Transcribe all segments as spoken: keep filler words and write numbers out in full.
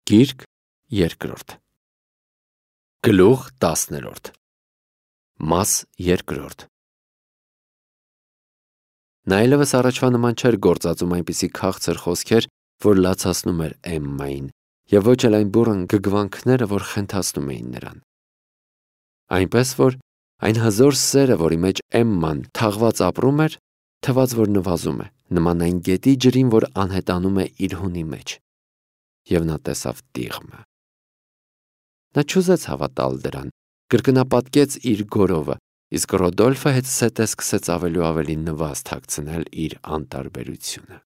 Գիրք երկրորդ Գլուխ տասներորդ Մաս երկրորդ Նա այլևս առաջվա նման չէր գործածում այնպիսի քաղցր խոսքեր, որ լացացնում էր Էմմային, և ոչ էլ այն բուռն գգվանքները, որ խենթացնում էին նրան։ Այնպես որ այն հզոր սերը, որի մեջ Էմման թաղված ապրում էր, թվաց, որ նվազում է, նման այն գետի ջրին, որ անհետանում է իր հունի մեջ։ Եվ նա տեսավ տիղմը։ Նա չուզեց հավատալ դրան, կրկնապատկեց իր գորովը, իսկ Ռոդոլֆը հետզհետե սկսեց ավելի ու ավելի նվազ թաքցնել իր անտարբերությունը։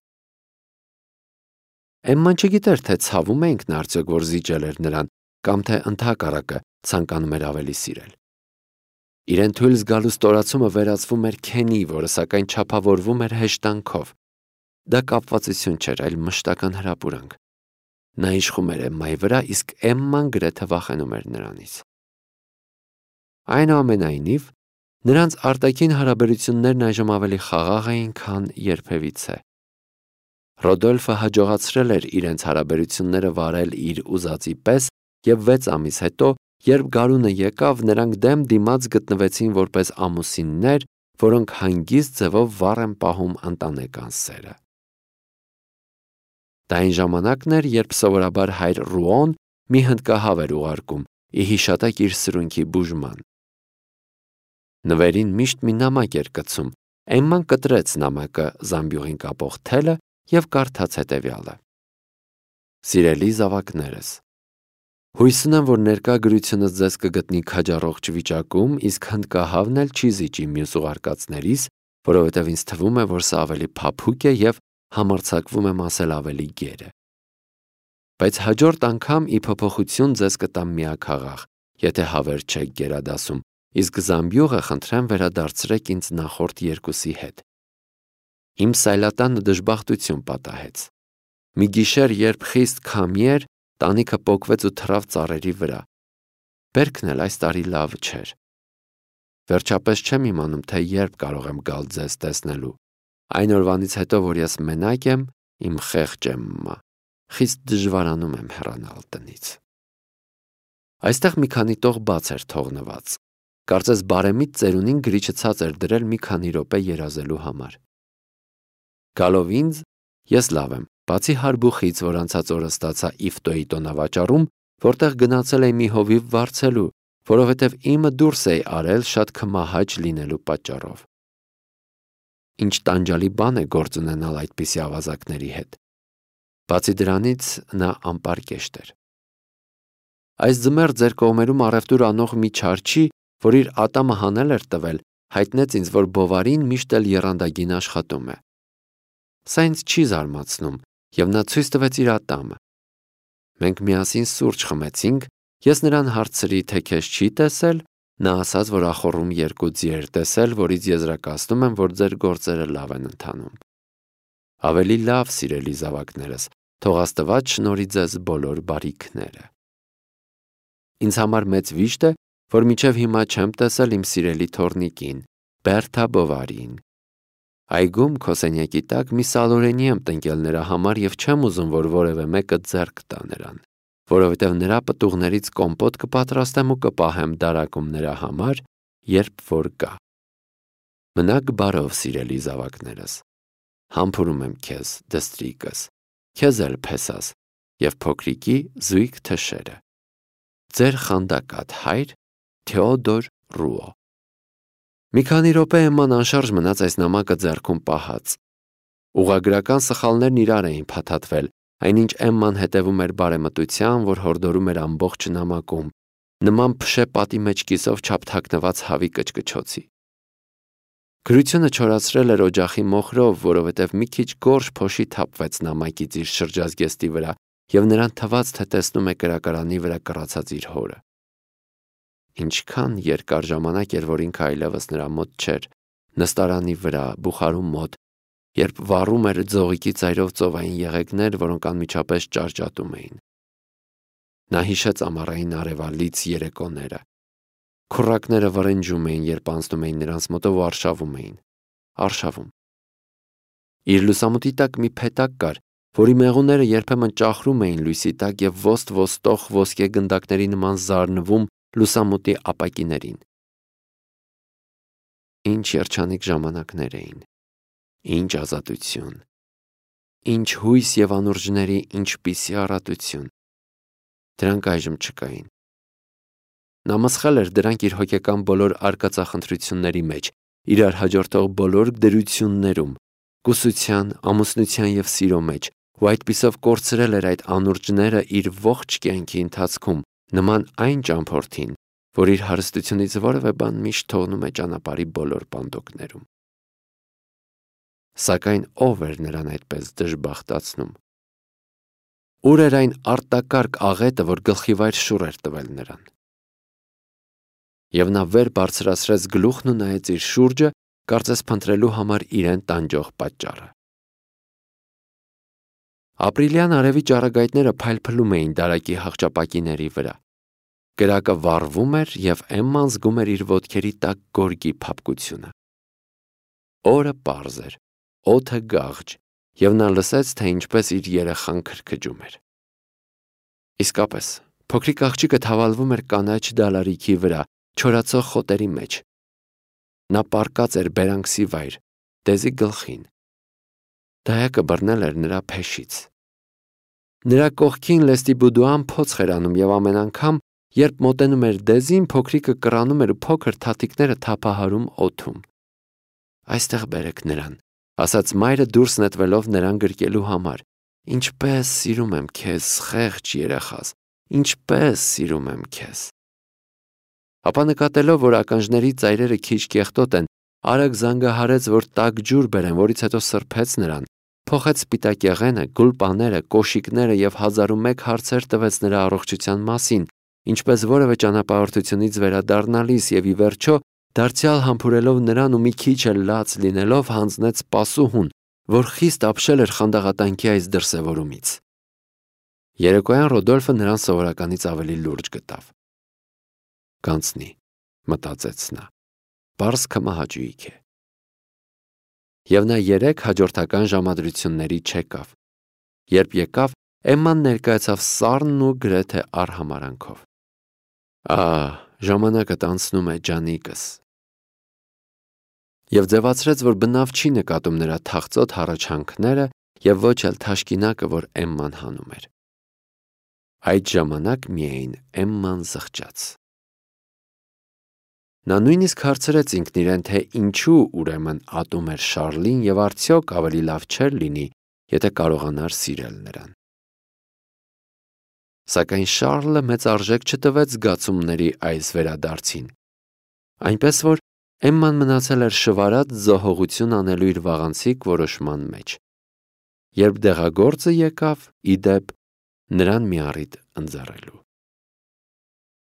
Էմման չգիտեր, թե ցավում էինք նա արդյոք, որ զիջել էր նրան, կամ թե ընդհակառակը ցանկանում էր ավելի սիրել։ Իրեն թույլ զգալու ստորացումը վերածվում էր քենի, որը սակայն չափավորվում էր հեշտանքով։ Դա կապվածություն չէր, այլ մշտական հրապուրանք։ Նա իշխում էր Էմմայի վրա, իսկ Էմման գրեթե վախենում էր նրանից։ Այնուամենայնիվ, նրանց արտաքին հարաբերություններն այժմ ավելի խաղաղ էին, քան երբևիցե։ Ռոդոլֆը հաջողացրել էր իրենց հարաբերությունները վարել իր ուզածի պես, և վեց ամիս հետո, երբ գարունը եկավ, նրանք դեմ դիմաց գտնվեցին որպես ամուսիններ, որոնք հանգիստ ձևով վառ են պահում ընտանեկան սերը։ Դա այն ժամանակն էր, երբ սովորաբար հայր Ռուոն մի հնդկահավ էր ուղարկում, ի հիշատակ իր սրունքի բուժման։ Նվերին միշտ մի նամակ էր կցում։ Էմման կտրեց նամակը զամբյուղին կապող թելը և կարդաց հետևյալը. Սիրելի զավակներս, հույս ունեմ, որ ներկա գրությունս ձեզ կգտնի քաջառողջ վիճակում, իսկ հնդկահավն էլ չի զիջի մյուս ուղարկածներիս, որովհետև ինձ թվում է, որ սա ավելի փափուկ է և համարձակվում եմ ասել ավելի գեր է։ Բայց հաջորդ անգամ ի փոփոխություն ձեզ կտամ միաքաղաք, եթե հավերժ չեք գերադասում, իսկ զամբյուղը խնդրեմ վերադարձրեք ինձ նախորդ երկուսի հետ։ Իմ սայլատանը դժբախտություն պատահեց։ Մի գիշեր, երբ խիստ քամի էր, տանիքը պոկվեց ու թռավ ծառերի վրա։ Բերքն էլ այս տարի լավ չէր։ Վերջապես չեմ իմանում, թե երբ կարող եմ գալ ձեզ տեսնելու։ Այն օրվանից հետո, որ ես մենակ եմ, իմ խեղճ Էմմա, խիստ դժվարանում եմ հեռանալ տնից։ Այստեղ մի քանի տող բաց էր թողնված։ Կարծես բարեմիտ ծերունին գրիչը ցած էր դրել մի քանի րոպե երազելու համար։ Գալով ինձ, ես լավ եմ, բացի հարբուխից, որ անցած օրը ստացա Իֆտոյի տոնավաճառում, որտեղ գնացել էի մի հովիվ վարձելու, որովհետև իմը դուրս էի արել շատ քմահաճ լինելու պատճառով։ Ինչ տանջալի բան է գործ ունենալ այդպիսի ավազակների հետ։ Բացի դրանից նա անպարկեշտ էր։ Այս ձմեռ ձեր կողմերում առևտուր անող մի չարչի, որ իր ատամը հանել էր տվել, հայտնեց ինձ, որ Բովարին միշտ էլ եռանդագին աշխատում է։ Սա ինձ չի զարմացնում, և նա ցույց տվեց իր ատամը։ Մենք միասին սուրճ խմեցինք, ես նրան հարցրի, թե քեզ չի տեսել, նա ասաց, որ ախոռում երկու ձի էր տեսել, որից եզրակացնում եմ, որ ձեր գործերը լավ են ընթանում։ Ավելի լավ, սիրելի զավակներս, թող Աստված շնորհի ձեզ բոլոր բարիքները։ Ինձ համար մեծ վիշտ է, որ մինչև հիմա չեմ տեսել իմ սիրելի թոռնիկին, Բերթա Բովարին։ Այգում քո սենյակի տակ մի սալորենի եմ տնկել նրա համար և չեմ ուզում, որ որևէ մեկը ձեռք տա նրան, որովհետև նրա պտուղներից կոմպոտ կպատրաստեմ ու կպահեմ դարակում նրա համար, երբ որ գա։ Մնաք բարով, սիրելի զավակներս։ Համբուրում եմ քեզ, դստրիկս, քեզ էլ Փեսաս և փոքրիկի զույգ թշերը։ Ձեր խանդակատ հայր Թեոդոր Ռուո։ Մի քանի րոպե Էմման անշարժ մնաց այս նամակը ձեռքում պահած։ Ուղղագրական սխալներն իրար էին փաթաթվել, այնինչ Էմման հետևում էր բարեմտության, որ հորդորում էր ամբողջ նամակում, նման փշե պատի մեջ կիսով չափ թաքնված հավի կչկչոցի։ Գրությունը չորացրել էր օջախի մոխրով, որովհետև մի քիչ գորշ փոշի թափվեց նամակից իր շրջազգեստի վրա, և նրան թվաց, թե տեսնում է կրակարանի վրա կռացած իր հորը։ Ինչքան երկար ժամանակ էր, որ ինքը այլևս նրա մոտ չէր, նստարանի վրա, բուխարու մոտ, երբ վառում էր ձողիկի ծայրով ծովային եղեգներ, որոնք անմիջապես ճարճատում էին։ Նա հիշեց ամառային արևալից երեկոները։ Քուռակները վռնջում էին, երբ անցնում էին նրանց մոտով ու արշավում էին։ Արշավում։ Իր լուսամուտի տակ մի փետակ կար, որի մեղուները երբեմն ճախրում էին լույսի տակ և ոստ-ոստող ոսկե գնդակների նման զարնվում լուսամուտի ապակիներին։ Ինչ երջանիկ ժամանակներ էին, ինչ ազատություն, ինչ հույս և անուրջների ինչպիսի առատություն։ Դրանք այժմ չկային։ Նա մսխել էր դրանք իր հոգեկան բոլոր արկածախնդրությունների մեջ, իրար հաջորդող բոլոր դրություններում, կուսության, ամուսնության և սիրո մեջ, ու այդպիսով կորցրել էր այդ անուրջները իր ողջ կյանքի ընթացքում, նման այն ճամփորդին, որ իր հարստությունից որևէ բան միշտ թողնում է ճանապարհի բոլոր պանդոկներում։ Սակայն ո՞վ էր նրան այդպես դժբախտացնում։ Ուր էր այն արտակարգ աղետը, որ գլխիվայր շուռ էր տվել նրան։ Եվ նա վեր բարձրացրեց գլուխն ու նայեց իր շուրջը, կարծես փնտրելու համար իրեն տանջող պատճառը։ Ապրիլյան արևի ճառագայթները փայլփլում էին դարակի հախճապակիների վրա։ Կրակը վառվում էր, և Էմման զգում էր իր ոտքերի տակ գորգի փափկությունը։ Օրը պարզ էր, օդը գաղջ, և նա լսեց, թե ինչպես իր երեխան քրքջում էր։ Իսկապես, փոքրիկ աղջիկը թավալվում էր կանաչ դալարիքի վրա, չորացող խոտերի մեջ։ Նա պառկած էր բերանքսի վայր, դեզի գլխին։ Դայակը բռնել էր նրա փեշից։ Նրա կողքին Լեստիբուդուան փոცხ էր անում, և ամեն անգամ, երբ մոտենում էր դեզին, փոքրիկը կռանում էր ու փոքր թաթիկները թափահարում օդում։ «Այստեղ բերեք նրան», ասաց մայրը դուրս նետվելով նրան գրկելու համար։ «Ինչպես սիրում եմ քեզ, խեղճ երեխաս, ինչպես սիրում եմ քեզ»։ Ապա նկատելով, որ ականջների ծայրերը քիչ կեղտոտ են, արագ զանգահարեց, որ տաք ջուր բերեն, որից հետո սրբեց նրան, փոխեց սպիտակ եղենը, գուլպաները, կոշիկները և հազար ու մեկ հարցեր տվեց նրա առողջության մասին, ինչպես որևէ ճանապարհորդությունից վերադառնալիս, և ի վերջո, դարձյալ համբուրելով նրան ու մի քիչ էլ լաց լինելով, հանձնեց սպասուհուն, որ խիստ ապշել էր խանդաղատանքի այս դրսևորումից։ Երեկոյան Ռոդոլֆը նրան սովորականից ավելի լուրջ գտավ։ «Կանցնի», մտածեց նա, «պարզ քմահաճույք է»։ Եվ նա երեք հաջորդական ժամադրությունների չեկավ։ Երբ եկավ, Էմման ներկայացավ սառն ու գրեթե արհամարհանքով։ «Ահ, ժամանակդ անցնում է, ջանիկս»։ Եվ ձևացրեց, որ բնավ չի նկատում նրա թախծոտ հառաչանքները և ոչ էլ թաշկինակը, որ Էմման հանում էր։ Այդ ժամանակ միայն Էմման զղջաց։ Նա նույնիսկ հարցրեց ինքն իրեն, թե ինչու ուրեմն ատում էր Շառլին և արդյոք ավելի լավ չէր լինի, եթե կարողանար սիրել նրան։ Սակայն Շառլը մեծ արժեք չտվեց զգացումների այս վերադարձին, այնպես որ Էմման մնացել էր շվարած զոհողություն անելու իր վաղանցիկ որոշման մեջ։ Երբ դեղագործը եկավ, ի դեպ, նրան մի առիթ ընձեռելու։